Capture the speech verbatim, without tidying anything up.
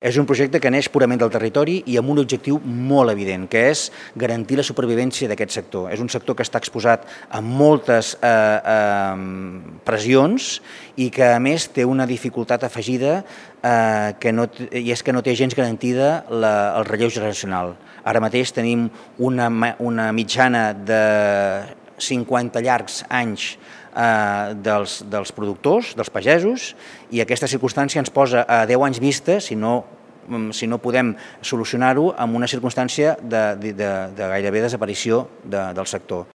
És un projecte que neix purament del territori i amb un objectiu molt evident, que és garantir la supervivència d'aquest sector. És un sector que està exposat a moltes eh, eh, pressions i que, a més, té una dificultat afegida eh, que no, i és que no té gens garantida la, el relleu generacional. Ara mateix tenim una, una mitjana de cinquanta llargs anys eh, dels, dels productors, dels pagesos, i aquesta circumstància ens posa a deu anys vista, si no, si no podem solucionar-ho, amb una circumstància de, de, de gairebé desaparició de, del sector.